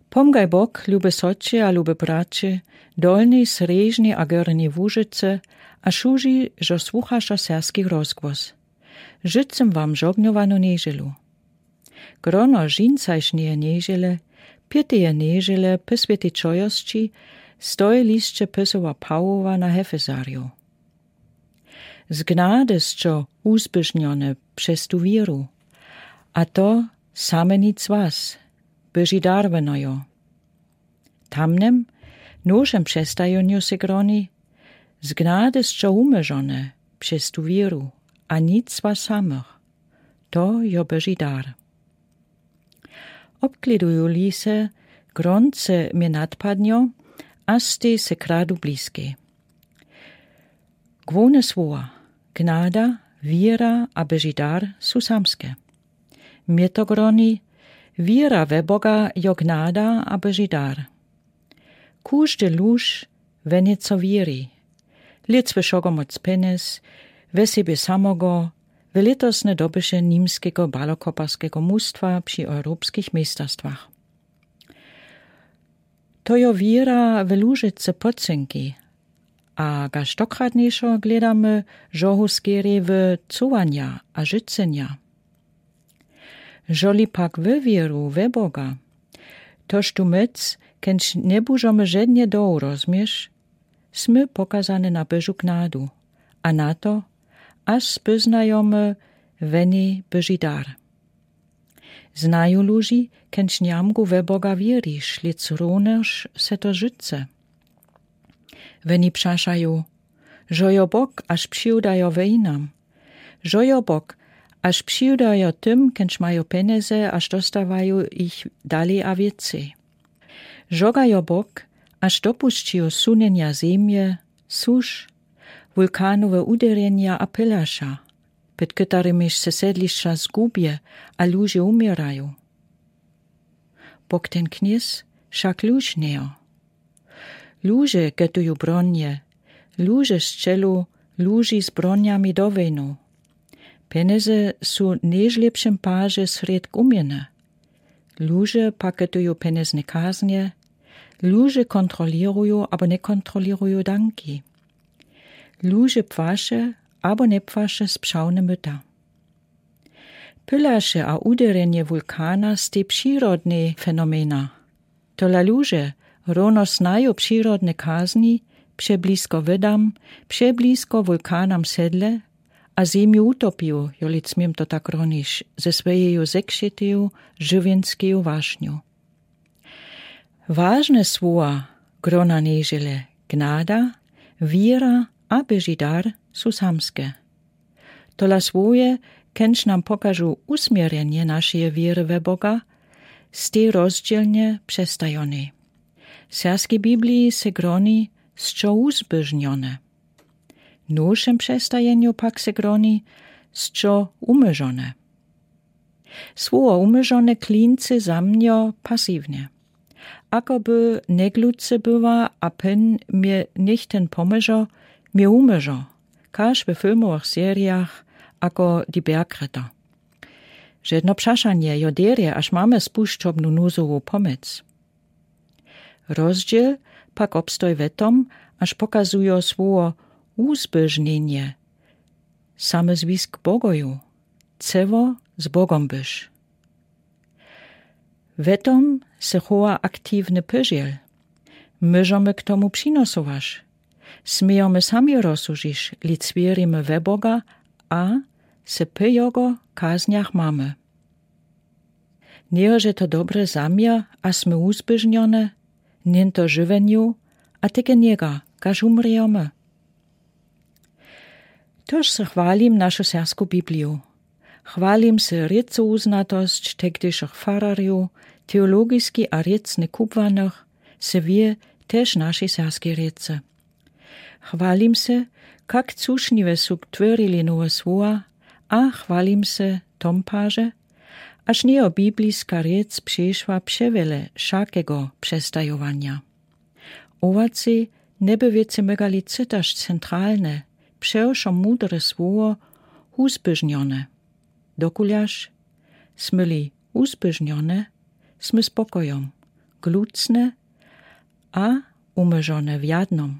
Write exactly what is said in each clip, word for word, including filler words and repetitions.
Pomgaj bok, lube sotry a lubi bratry, dolnej srjeżnej a gornjej łužicy, a szużi żo słuchasza serbskich rozgłos. Życzym wam żognowanu njeżelu. Grono żincajszneje njeżele, pěteje njeżele pô swiãti czojosci, stoji lisce pôsowa pałowa na hefezarju. Z gnady sce ùzběżniony przez tu wieru, a to same nic was, bieżi darweno jo. Tamnym nowszym przestajenju se groni, z gnady sce ùmierzony przez tu wieru, a nic was samych, to jo bieżi dar. Obkleduju li se, gronce mie nadpadnjo, a stej se kradu bliskej. Główne słowa: gnada, wiera a bieżi dar su samske. Mie to groni: wiera we Boga jo gnada a bieżi dar. Kóżdy luž we njeco wieri. Lec we wšogomoc penez, we sebie samogo, we letosne dobyše nimskego balokoparskego mustwa przi europskich mejsterstwach. To jo wiera we lužice pocynki, a gaž dokratnejszo gledamy, żohu skerje we cowanja a żicynja. Żoli pak we wieru we Boga, toż tu móc, kenž njebužomy żednje dołu rozmieć, smy pokazany na bieżu gnadu, a na to, aż spóznajomy we ni bieżi dar. Znaju luži, kenž njamgu we Boga wierisz, lec równeż se to życe. Weni przaszaju, żo jo Bóg, aż prziwdajo wejnam. Żo jo Bóg, aż prziwdajo tym, kenž majo peneze, aż dostawaju jich dali a wicy. Żoga jo Bóg, aż dopuszczijo sunjenja zemje, susz, wulkanowe ùderjenja a pylasza, pòd kòterymiż se sedliszcza zgubje a luže ùmiéraju. Bóg ten knjez wšak luž njejo. Luže gòtuju bronje, luže strzelu luži z bronjami do wejnu. Peneze su w nôlepszim parze srědk ùměny. Luže pak gòtuju penezne kaznje, luže kontrolěruju abo njekontrolěruju danki. Luže płaše abo njepłaše sprzawne móta. Pylasza a ùderjenje wulkana stej przirodne fenomena. Tola luže, równo znajo przirodne kazni, přeblizko wòdam, přeblizko wulkanam sedle a zemju ùtopił, joli smiem to tak ronić, ze swòjeju zekšeteju żëwjenskeju wašnju. Wažne słowa grona nježele: gnada, wira a běži dar su samske. Tola słowje, kenž nam pokažu usměrjenje našeje wěry we Boga, stej rozdźělnje přestajonej. W serbskej Bibliji se groni sćo ùzběžnjone. W nowšem přestajenju pak se groni sćo ùmyžone. Słowo ùmyžone klincy za mnjo pasiwnje. Ako by njegluce była a pón mie nichtyn pomyžo, mie ùmyžo, kaž we filmowych serijach ako Die Bergretter. Žedno přašanje jo derje, až mamy spušćobnu nuzową pomôc. Rozdźěl pak obstoji we tom, až pokazujo słowo ùzběžnjenje samy zwisk Bogoju, ceło z Bogom byś. We tom se chowa aktiwny pòzdźěl. Móžemy k tomu přinosowaš. Smějomy sami rozsudźiš, li wěrimy we Boga a se pò jogo kaznjach mamy. Njeje to dobry zaměr, a smy ùzběžnjone, njen to żëwenju, a teke njega, kaž ùmrějomy. Tož se chwalim našu serbsku Bibliju. Chwalim se rěcowuznatosć tegdyšich fararjow, teologiski a rěcny kubłanych, se wě, tež našej serbskej rěcy. Chwalim se, kak cušniwe su twòrili nowe słowa, a chwalim se tom parze, aż njejo bibliska rěc přešła přewjele wšakego přestajowanja. Owacy njeby wěcy mógali cytaš centralne, přewšo mudre słowo ùzběžnjone. Dokuljaž smy-li ùzběžnjone, smy z pokojom, glutne a umierzone w jednym.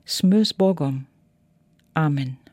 Smy z Bogom. Amen.